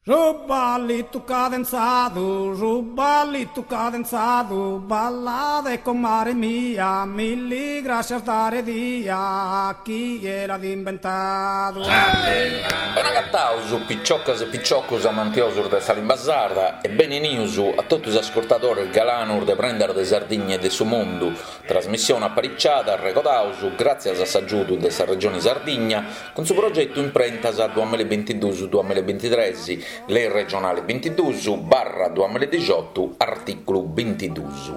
Su ballitu cadenzadu, su ballitu cadenzadu, ballade comare mia, milli grascias dare dia, chie l'at imbentadu. Benagataus piciocas e piciocus amantiosus de sa limba sarda e beni 'enius a totu is ascurtadores galanus de Prendas de Sardigna e de su Mundu, trasmissione apariciada, arregodaus, gràtzias a s'agiudu de sa Regioni Sardigna, Cun su progetu Imprentas duamillabintiduus duamillabintitres, Lei regionale bintiduus barra duamilladixotu, artìculu bintiduus.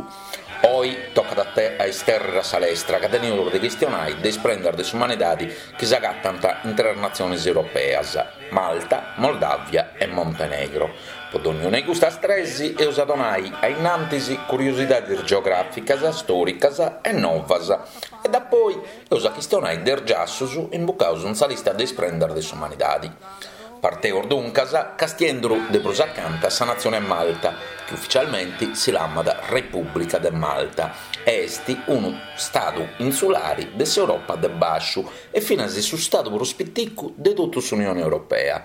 Oi tocat a te a istèrrere a sa lestra ca teneus de chistionai de is prendas de s'umanidadi chi s'agatant in tres natziones europeas, Malta, Moldàvia e Montenegro. Po donniuna 'e custas tres eus a donai a innantis curiosidadis geogràficas, stòricas e novas e dapoi Eus a chistionai de is giassus imbucaus in sa lista de is prendas de s'umanidadi. Parteus duncas castienduru de prus acanta sa natzione Malta, chi uficialmenti si lamat Repùblica de Malta e est unu stadu insulari de s'Europa de bàsciu e finas su stadu prus piticu de totu s'Unione Europea.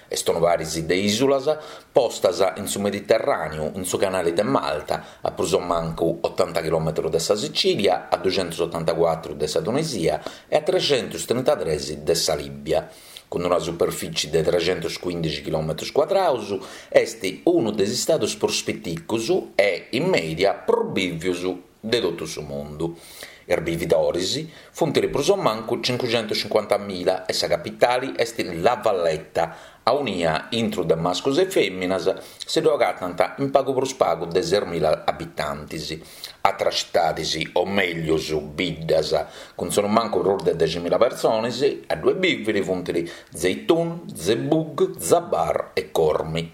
Est unu paris de ìsulas postas in su Mediterràneu, in su Canale de Malta, a prus o mancu otanta chilòmetros de sa Sicìlia, a duxentusotantacuatru de sa Tunisia e a trexentustrentatres de sa Lìbia. Cun una superfìtzie de trexentuscuìndixi chilòmetros cuadraus, est unu de is istados prus piticus e, in mèdia, prus bìvius de totu su mundu. Is bividoris funt prus o mancu cincuxentuscincuantamila e sa capitali est La Valletta, aunia intru de mascus e fèminas si ddu agatant in pagu prus pagu de sesmila abitantis. Atras citadis, o mellus biddas, cun sonumancu prus de deximila personis a ddue bìviri funt Żejtun, Zebbug, Żabbar e Qormi.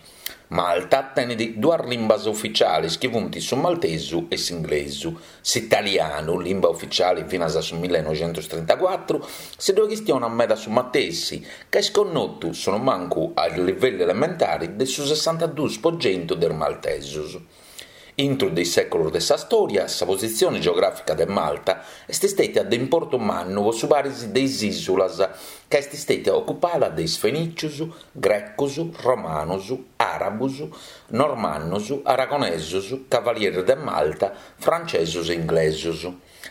Malta tenet duas limbas uficiales chi funt su maltesu e s'inglesu. S'italianu, limba uficiale finas a su millenoixentustrintacuatru, si ddoe chistionat meda su matessi, ca est connotu sonumancu a livellu elementare de su sessantaduus po centu de is maltesos. Intru de is sèculos de sa stòria, sa positzione geogràfica de Malta est stètia de importu mannu po su paris de is ìsulas, ca est stètia ocupada de is fenìcius, grecos, romanos, àrabos, normannos, aragonesos, cavalieris de Malta, francesos e inglesos.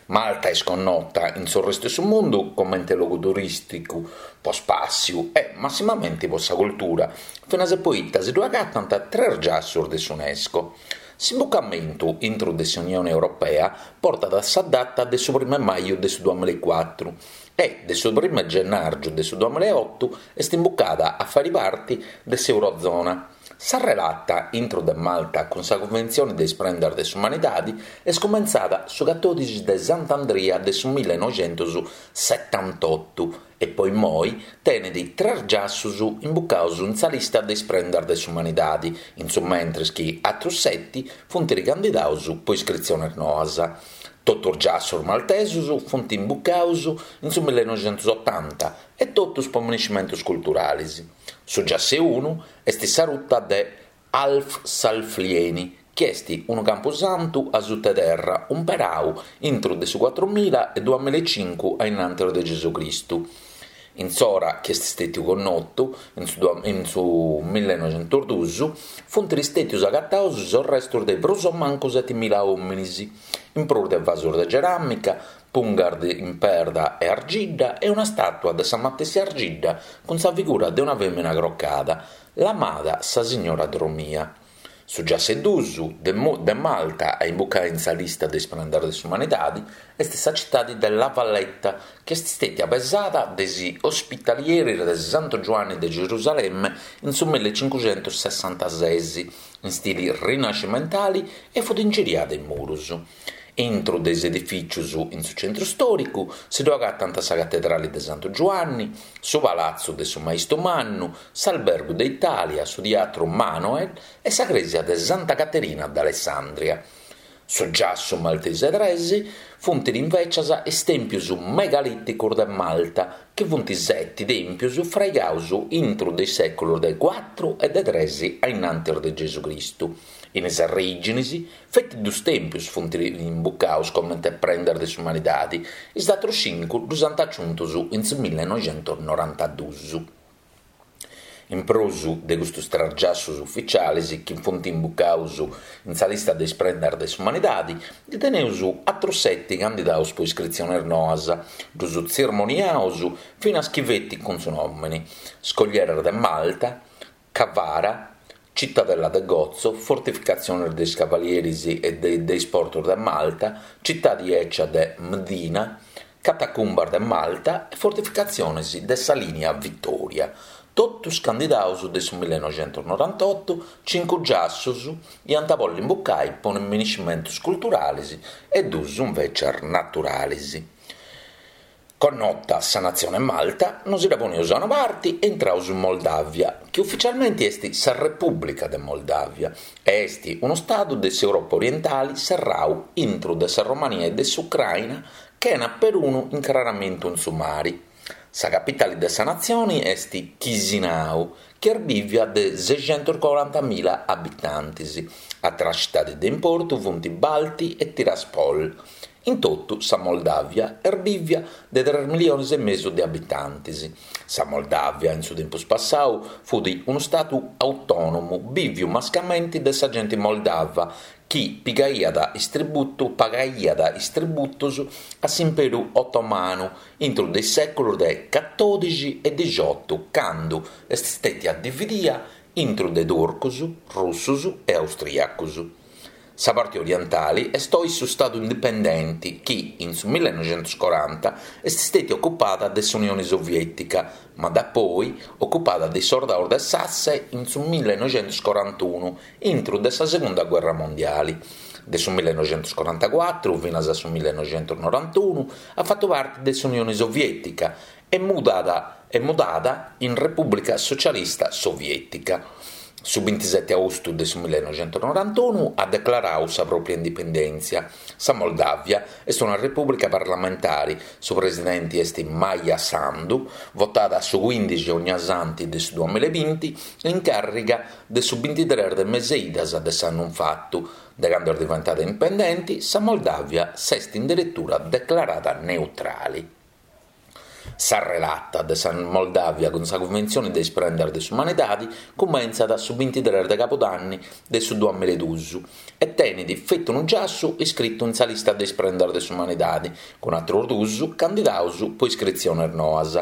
Malta est connota in su restu 'e su mundu comente logu turìsticu po spàssiu e massimamenti po sa cultura, finas e poita si ddu agatant tres giassus de s'Unesco. S'imbucamentu intru de s'Unione Europea portat sa data de su primu 'e maju de su duamillaecuatru e de su primu 'e gennàrgiu de su duamillaeotu est imbucada a fàiri parti de s'Eurozona. Sa relata intru de Malta cun sa Cunventzione de is Prendas de s'Umanidadi est cumentzada su catòdixi de Sant'Andria de su millenoixentussetantotu e po immoi tenet tres giassus imbucaus in sa lista de is Prendas de s'Umanidadi, in su mentres chi atrus seti funt candidaus po iscritziones noas. Totu is giassus maltesus funt imbucaus in su millenoixentusotanta e totus po minescimentus culturalis. Su giassu 'e unu est sa ruta de Ħal Saflieni, chi est unu campusantu a suta 'e terra umperau intru de su cuatrumila e duamillaecincu a innantis de Gesù Cristu. In s'ora chi est stètiu connotu, in su in su millenoixentusduus, funt stètius agataus is arrestus de prus o mancu setimila òminis, in prus de vasus de ceràmica, pungas in perda e argidda e una stàtua de sa matessi argidda cun sa figura de una fèmina crocada, lamada sa Signora Dromia. Su giassu 'e duus de de Malta a imbucai in sa lista de is prendas de s'umanidadi est sa citadi de La Valletta, chi est stètia pesada de is ospitalieris de Santu Giuanni de Gerusalemme in su millecincuscentussessantases, in stili rinascimentali e fut ingiriada 'e murus. Intru de is edifìcius in su centru stòricu si ddu agatant sa Catedrali de Santu Giuanni, su Palatzu de su Maistu Mannu, s'Albergu de Itàlia, su Tiatru Manoel e sa Crèsia de Santa Caterina d'Alessandria. Su giassu maltesu 'e tres funt invècias is tèmpius megalìticus de Malta, chi funt seti tèmpius fraigaus intru de is sèculus de cuatru e de tres a innantis de Gesù Cristu. In is arrèginis, feti dus tèmpius funt imbucaus comente prendas de s'umanidadi, is atrus cincu ddus ant aciuntus in su millenoixentusnorantadus. In prus de custus tres giassus uficialis chi funt imbucaus in sa lista de is prendas de s'umanidadi, ndi teneus atrus seti candidaus po iscritzionis noas, ddus tzirmoniaus finas chi feti cun su nòmini, Scoglieras de Malta, Kavara, Citadella de Gozo, Fortificatzionis de is Cavalieris e de is Portus de Malta, Citadi 'Ecia de Mdina, Catacumbas de Malta e Fortificatzionis de sa Lìnia Vitòria. Totus candidaus de su millenoixentusnorantotu, cincu giassus iant a bolli imbucai po miniscimentus culturalis e dus invècias naturalis. Connota sa natzione Malta, nosi dda poneus a una parti e intraus in Moldàvia, chi uficialmenti est sa Repùblica de Moldàvia e est unu stadu de s'Europa orientali serrau intru de sa Romania e de s'Ucraina chena perunu incraramentu in su mari. Sa capitali de sa natzioni est Chisinau, chi est bìvia de sexentuscorantamila abitantis. Àteras citadis de importu funt Balti e Tiraspol. In totu sa Moldàvia est bìvia de tres milliones e mesu de abitantis. Sa Moldàvia in su tempus passau fut unu stadu autònomu bìviu mascamenti de sa genti moldava chi pigaiat is tributu pagaiat is tributus a s'Imperu Otomanu intru de is sèculus de catòdixi e dixiotu candu est stètia dividia intru de turcus, russus e austriacus. Sa parti orientali est oi su stadu indipendenti chi, in su millenoixentuscoranta, est stètia ocupada de s'Unioni Sovietica, ma dapoi ocupada de is sordaus de s'Asse in su millenoixentuscorantunu, intru de sa Segunda Guerra Mondiali. De su millenoixentuscorantacuatru finas a su millenoixentusnorantunu at fatu parti de s'Unioni Sovietica e mudada e mudada in Repùblica Socialista Sovietica. Su bintiseti austu de su millenoixentusnorantunu at declarau sa pròpria indipendèntzia. Sa Moldàvia est una repùblica parlamentari, su presidenti est Maja Sandu, votada su cuìndixi onniasanti de su duamilla e binti e in càrriga de su bintitres de mes'e idas de s'annu infatu. De candu est diventada indipendenti, sa Moldàvia s'est in deretura declarada neutrali. Sa relata de sa Moldàvia cun sa Cunventzioni de is Prendas de s'Umanidadi cumentzat su bintitres de cabudanni de su duamilla e dus e tenit feti unu giassu iscritu in sa lista de is Prendas de s'Umanidadi, cun atrus dus candidaus po iscritziones noas.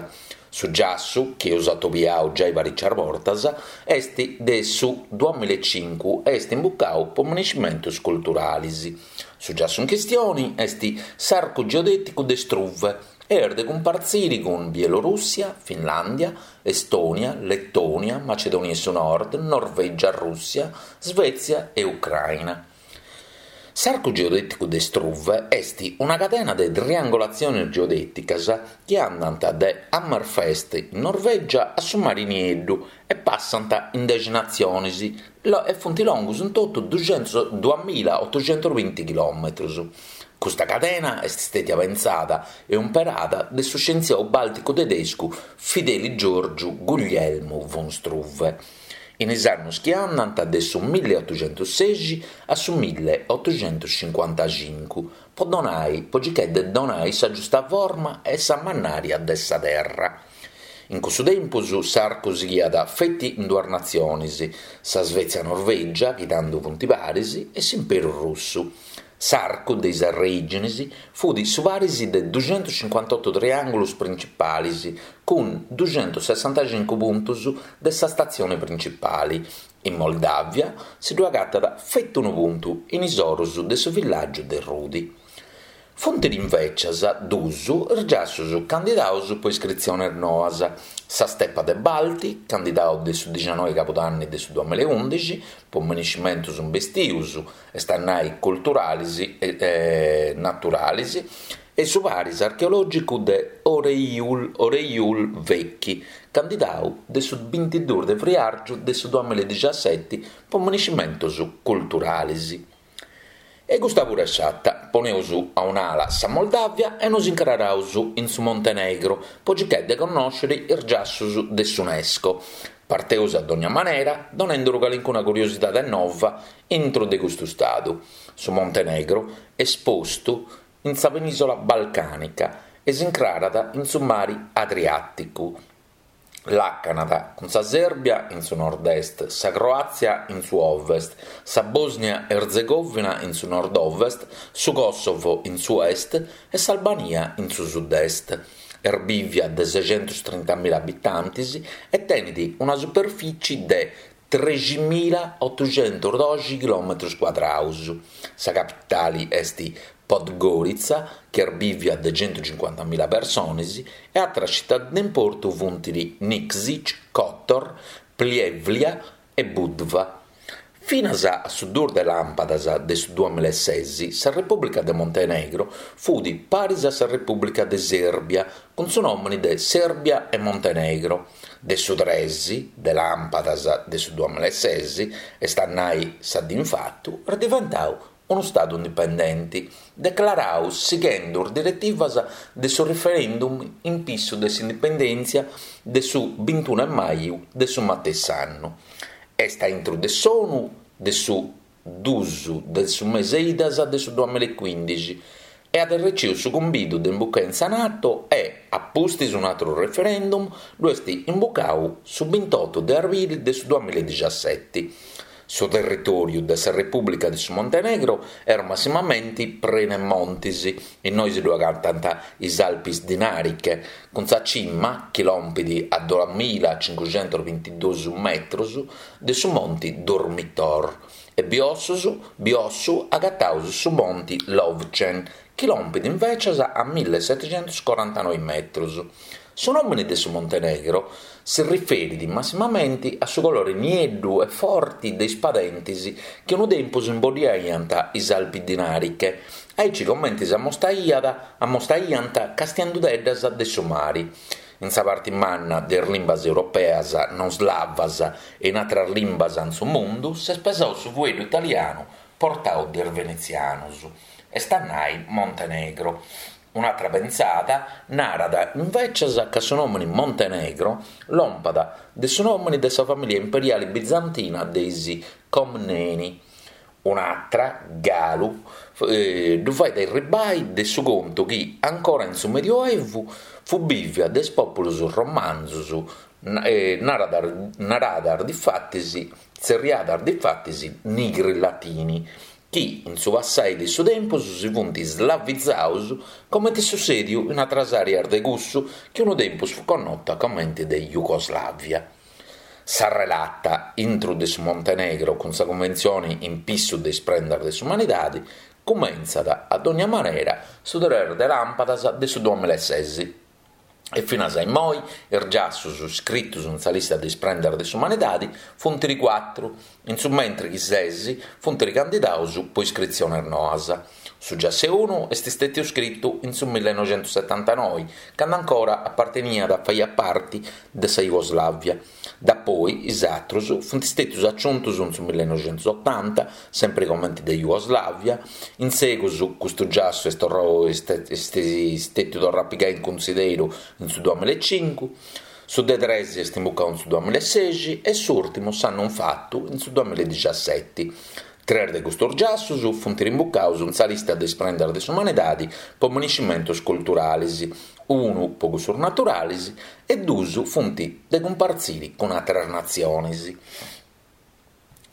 Su giassu, chi eus atobiau giai paricias bortas, est de su duamilla e cincu e est imbucau po miniscimentus culturalis. Su giassu in chistioni est s'arcu geodèticu de Struve e est de cumpartziri cun Bielorùssia, Finlàndia, Estònia, Letònia, Macedònia 'e su Nord, Norvègia, Rùssia, Svètzia e Ucraina. S'arcu geodèticu de Struve est una cadena de triangolatziones geodèticas chi andant de Hammerfest in Norvègia a su Mari Nieddu e passant in dexi natziones e funt longus in totu duamilaotoxentusbinti chilòmetrus. Custa cadena est stètia pentzada e umperada de su scientziau bàlticu tedescu Fideli Giorgiu Guglielmu von Struve in is annus chi andant de su milliotoxentussexi a su milliotoxentuscincuantacincu po donai po circai de donai sa giusta forma e sa mannària de sa Terra. In cussu tempus s'arcu sighiat feti in duas natziones, sa Svezia-Norvègia, chi tando funt paris, e s'Imperu Russu. S'arcu de is arrèiginis fut su paris de duxentuscincuantotu triàngulus principalis, cun duxentussessantacincu puntus de sa statzione principali. In Moldàvia si ddu agatat feti unu puntu, in is orus de su villàgiu de Rudi. Funt invècias dus is giassus candidaus po iscritziones noas, sa Stepa de Balti, candidau de su dixanoi cabudanni de su duamilla e undixi po miniscimentus imbestius, est a nai culturalis e naturalis, e su paris archeològicu de Oreiul Oreiul Vechi, candidau de su bintiduus de friàrgiu de su duamilla e dixaseti po miniscimentus culturalis. E custa puru est fata, poneus a un'ala sa Moldàvia e nos incraraus in su Montenegro po circai de connòsciri is giassus de s'Unesco. Parteus a dogna manera donenduru calincuna curiosidade nova intru de custu stadu. Su Montenegro est postu in sa penìsola balcànica e s'incrarat in su mari Adriàticu. Làcanat cun sa Sèrbia in su nord-est, sa Croàtzia in su ovest, sa Bòsnia-Ertzegòvina in su nord-ovest, su Kòsovo in su est e s'Albania in su sud-est. Est bìvia de sexentus-trintamila abitantis e tenit una superfìtzie de treximilaotuxentus-doxi chilòmetrus cuadraus. Sa capitali est Podgorica, chi est bìvia de centucincuantamila personis, e àteras citadis de importu funt Nikšić, Kotor, Pljevlja e Budva. Finas a su duus de làmpadas de su duamilaeses, sa Repùblica de Montenegro fut paris a sa Repùblica de Sèrbia, cun su nòmini de Sèrbia e Montenegro. De su tres de làmpadas de su duamilaeses, est a nai sa dì infatu, est diventau unu stadu indipendenti, declarau sighendu is diretivas de su referendum in pissu de s'indipendèntzia de su bintunu 'e maju de su matessi annu. Est a intru de s'ONU de su dus de su mese idas de su duamilaecuindixi e at erreciu su cumbidu de imbucai in sa Nato e, a pustis un'atru referendum, ddu est imbucau su bintotu de arbili de su duamilaedixiaseti. Su territòriu de sa Repùblica de su Montenegro est massimamenti prenu 'e montis, innoi si ddu agatant is Alpis Dinariche, cun sa cima chi lompit a duamilacincuxentusbintiduus metrus de su monti Durmitor, e biossus biossu agataus su monti Lovćen, chi lompit invècias a millisetixentuscorantanoi metrus. Su nòmini de su Montenegro si riferit massimamenti a su colore nieddu e forti de is padentis chi unu tempus imboddiaiant is Alpi Dinariche, aici comenti s'ammostaiat ammostaiant castiendudeddas de su mari. In sa parti manna de is limbas europeas non slavas e in atras limbas in su mundu s'est pesau su fueddu italianu portau de is venetzianus, est a nai Montenegro. Un'atra pentzada narat invècias ca su nòmini Montenegro lompat de su nòmini de sa famìlia imperiali bizantina de is Comneni. Un'atra, galu, ddu fait erribai de su contu chi, ancora in su Medioevu, fut bìvia de is pòpulus romanzus, naradas difatis, tzerriadas difatis nigri latini, chi in su passai de su tempus si funt slavizaus comenti sussediu in atras areas de cussu chi unu tempus fut connota comenti de Jugoslavia. Sa relata intru de su Montenegro cun sa Cunventzioni in pissu de is prendas de s'umanidadi cumentzat a dogna manera su tres de làmpadas de su duamilaeses. E finas a immoi is giassus scritus in sa lista de is prendas de s'umanidadi funt cuatru, in su mentri chi ses funt candidaus po iscritziones noas. Su giassu 'e unu est stètiu scritu in su millenoxentussetantanoi, candu ancora aparteniat faiat parti de sa Jugoslavia. Dapoi is atrus funt stètius aciuntus in su millenoxentusotanta, sempri comenti de Jugoslavia. In segus custu giassu est torrau est stètiu torrau a pigai in cunsideru in su duamilaecincu, su de tres est imbucau in su duamilaesexi e s'ùrtimu s'annu infatu in su duamilaedixiaseti. Tres de custus giassus funt rimbucaus in sa lista de is prendas de s'umanidadi po miniscimentus culturalis, unu po cussus naturalis e duus funt de cumpartziri cun àteras natzionis.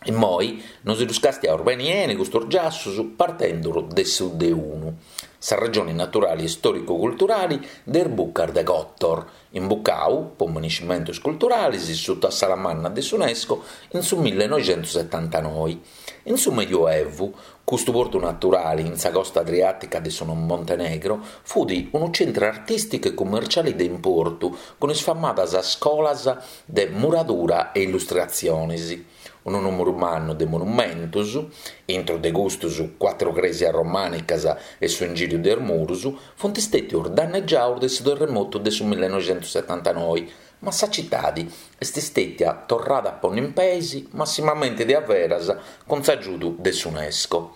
Immoi nosi ddus castiaus beni 'eni custus giassus partendu de su de unu, sa regioni naturali e stòricu-culturali de is Bucas de Kotor, imbucau po miniscimentus culturalis suta s'ala manna de s'UNESCO in su millenoxentussetantanoi. In su Medioevu, custu portu naturali in sa costa adriàtica de su Montenegro fut unu centru artìsticu e cummerciali de importu cun is famadas scolas de muradura e illustratzionis. Unu nùmeru mannu de monumentus, intru de custus cuatru crèsias romànicas e su ingìriu de is murus, funt stètius dannegiaus de su terremotu de su millenoxentussetantanoi, ma sa citadi est stètia torrada a ponni in peis massimamenti de averas cun s'agiudu de s'UNESCO.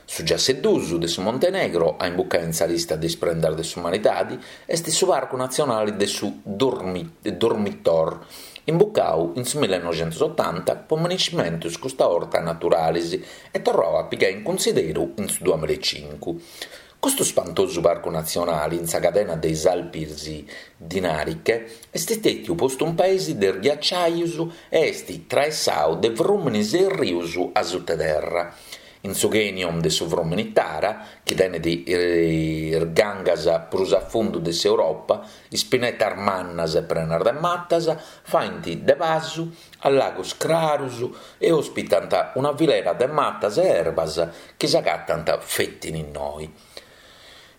Su giassu 'e duus de su Montenegro a imbucai in sa lista de is prendas de s'umanidadi est su Parcu Natzionali de su Durmitor, imbucau in su millenoxentusotanta po miniscimentus custa 'orta naturalis e torrau a pigai in cunsideru in su duamilaecincu. Custu spantosu parcu natzionali in sa cadena de is Alpis Dinariche est stètiu postu in peis de is ghiaciaius e est traessau de frùminis e rius asuta terra. In su canyon de su frùmini Tara, chi tenet is gangas prus a fundu de s'Europa, is pinetas mannas e prenas de matas faint de pasu a lagos crarus e ospitant una filera de matas e erbas chi s'agatant feti in innoi.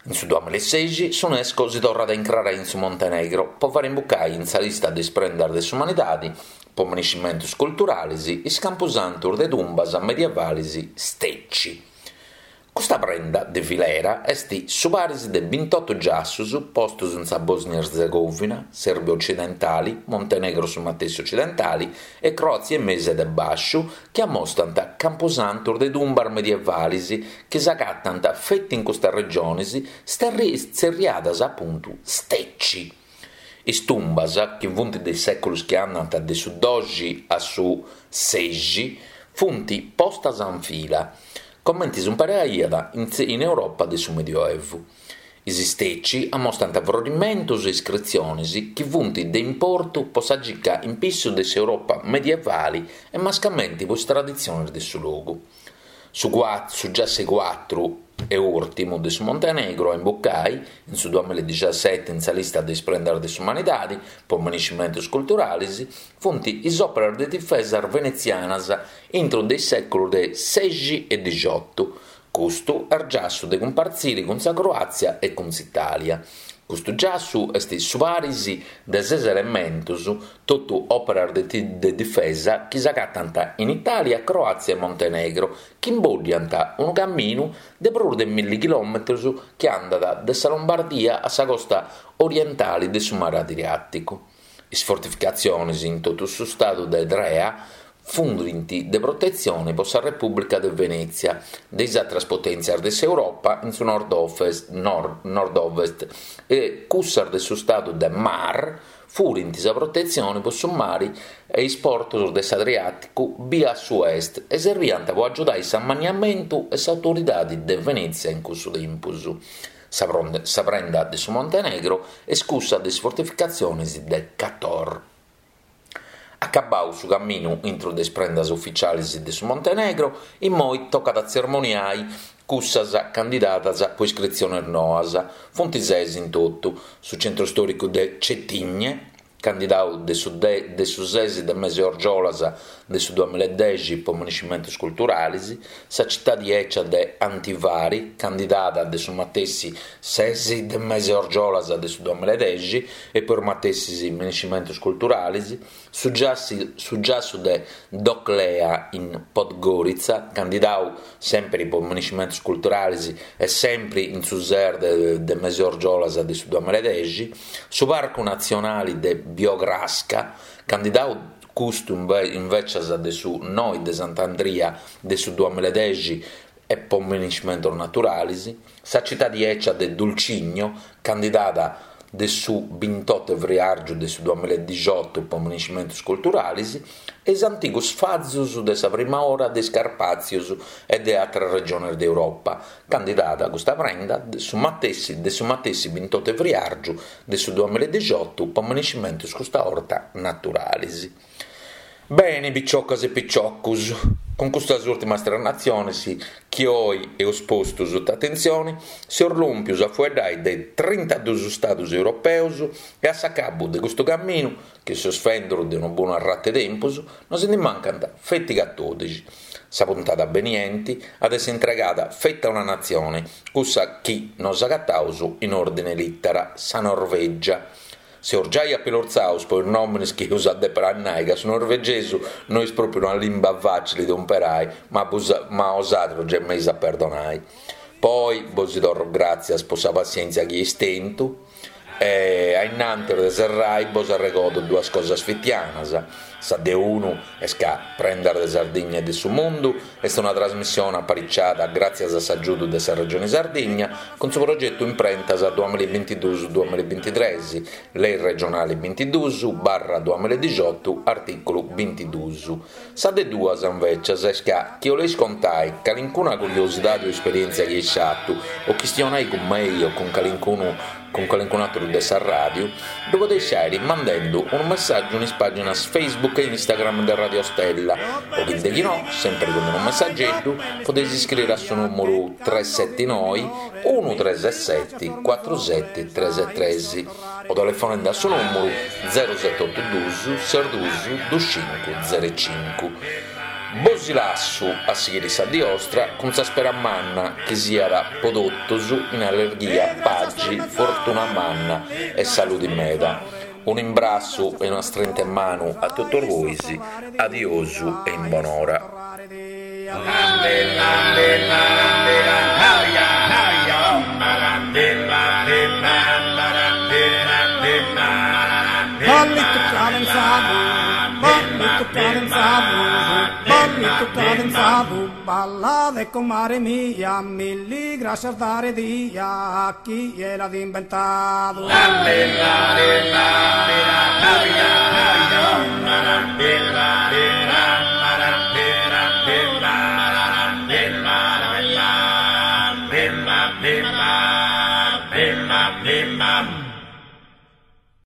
In su duamilasexi s'Unesco si torrat a incrarai in su Montenegro po fari imbucai in sa lista de is prendas de s'umanidadi po minescimentus culturalis is campusantus de tumbas medievalis Steći. Custa prenda de filera est su paris de bintotu giassus postus in sa Bòsnia-Erzegovina, Sèrbia Ocidentali, Montenegro su matessi ocidentali e Croàtzia e Mese de Bàsciu chi ammostant campusantus de tumbas medievalis chi s'agatant feti in custas regionis tzerriadas apuntu Steći. Is tumbas, chi funt de is sèculus chi andant de su doxi a su sexi, funt postas in fila, comenti s'umperaiat in Europa de su Medioevu. Is Steći ammostant frorimentus e iscritzionis chi funt de importu po sa circa in pissu de s'Europa medievali e mascamenti po is traditzionis de su logu. Su su giassu 'e cuatru e ùrtimu de su Montenegro a imbucai, in su duamiladixaseti in sa lista de is prendas de s'umanidadi po minescimentus culturalis, funt is òperas de difesas venetzianas intru de is sèculus de sexi e dixiotu, Custu est giassu de cumpartziri cun sa Croàtzia e cun s'Itàlia. Custu giassu est su paris de ses elementos, totu òperas de difesa chi s'agatant in Itàlia, Croàtzia e Montenegro, chi imbòddiant unu caminu de prus de milli chilòmetros chi andat de sa Lombardia a sa costa orientale de su mare Adriàticu. Is fortificatziones in totu su stadu de Drea funt de protetzione po sa Repùblica de Venètzia de is àteras potèntzias de s'Europa in su nord-ovest e cussas de su stadu de Mar furint sa protetzione po su mari e is portos de s'Adriàticu bia a su est e serbiant po agiudai s'amanniamentu e s'autoridade de Venètzia in cussu tempus. Sa prenda de su Montenegro est cussa de is fortificatziones de Kotor. Acabau su caminu intro de is prendas uficialis de su Montenegro, immoi tocat a tzermoniai cussas candidadas po iscritziones noas, funt ses in totu, su centru stòricu de Cetinje, candidau de su de su ses de mese orgiolas de su duamiladexi po minescimentus culturalis, sa citadi 'ecia de Antivari, candidada de su matessi ses de mese orgiolas de su duamiladexi e po is matessis minescimentus culturalis, su su giassu de Doclea in Podgorica, candidau sèmpiri po minescimentus culturalis e sèmpiri in su ses de mese orgiolas de su duamiladexi, Su Parcu Natzionali de Biogradska, candidau custu invècias de su noi de Sant'Andria de su duamiladexi e po minescimentus naturalis, sa citadi 'ecia de Dulcigno, candidada de su bintotu 'e friàrgiu de su duamiladixotu po minescimentus culturalis, e is antigus fazus de sa prima ora de is Carpàtzius e de àteras regiones de Europa, Candidada custa prenda de su matessi de su matessi bintotu 'e friàrgiu de su duamiladixotu po minescimentus custa 'orta naturalis. Beni piciocas e piciocus, cun custas ùrtimas tres natziones chi oi eus postu suta atentzioni, seus lòmpius a fueddai de trintadus stadus europeus e a s'acabu de custu caminu, chi seus fenduru de unu bonu arratu 'e tempus, nos ndi mancant feti catodixi. Sa puntada benienti at essi intregada feti a una natzione, cussa chi nos agataus in ordine 'e litera, sa Norvegia. Seus giai apilortzaus po is nòminis chi eus a dèpere a nai ca su norvegesu no est pròpiu una limba fàcili de umperai, ma ma osatrus gei m'eis a perdonai. Po oi bosi torru gràtzias po sa passièntzia chi eis tentu. E a innantis de serrai bos arregodo duas cosas fitianas. Sa de unu est ca Prendas de Sardigna e de su Mundu est una trasmissione apariciada gràtzias a s'agiudu de sa Regione Sardigna cun su progetu Imprentas duamilla e bintiduus duamilla e bintitres, Lei regionale bintiduus barra duamilla e dixiotu artìculu bintiduus. Sa de duas, invècias, est ca chi 'oleis contai calincuna curiosidadi o esperièntzia chi eis fatu o chistionai cun mei o cun calincunu cun calincun'àteru de sa ràdiu, ddu podeis fàiri mandendu unu messàgiu in is pàginas Facebook e Instagram de Radio Stella o chi de chi no, sèmpiri cun unu messageddu, podeis iscriri a su nùmuru tres seti noi unu tres seti cuatru seti tres tres o telefonende a su nùmuru zero seti otu dus ses dus dus cincu zero cincu. Bosi lassu a sighiri sa dì 'ostra cun sa spera manna chi siat po totus in allerghia, pagi, fortuna manna e saludi meda. Unu imbrassu e una strinta 'e manu a totus bois, adiosu e in bonora. Ballitu cadenzadu, ballitu cadenzadu, ballitu cadenzadu, ballade comare mia, milli grascias dare dia, chie l'at imbentadu.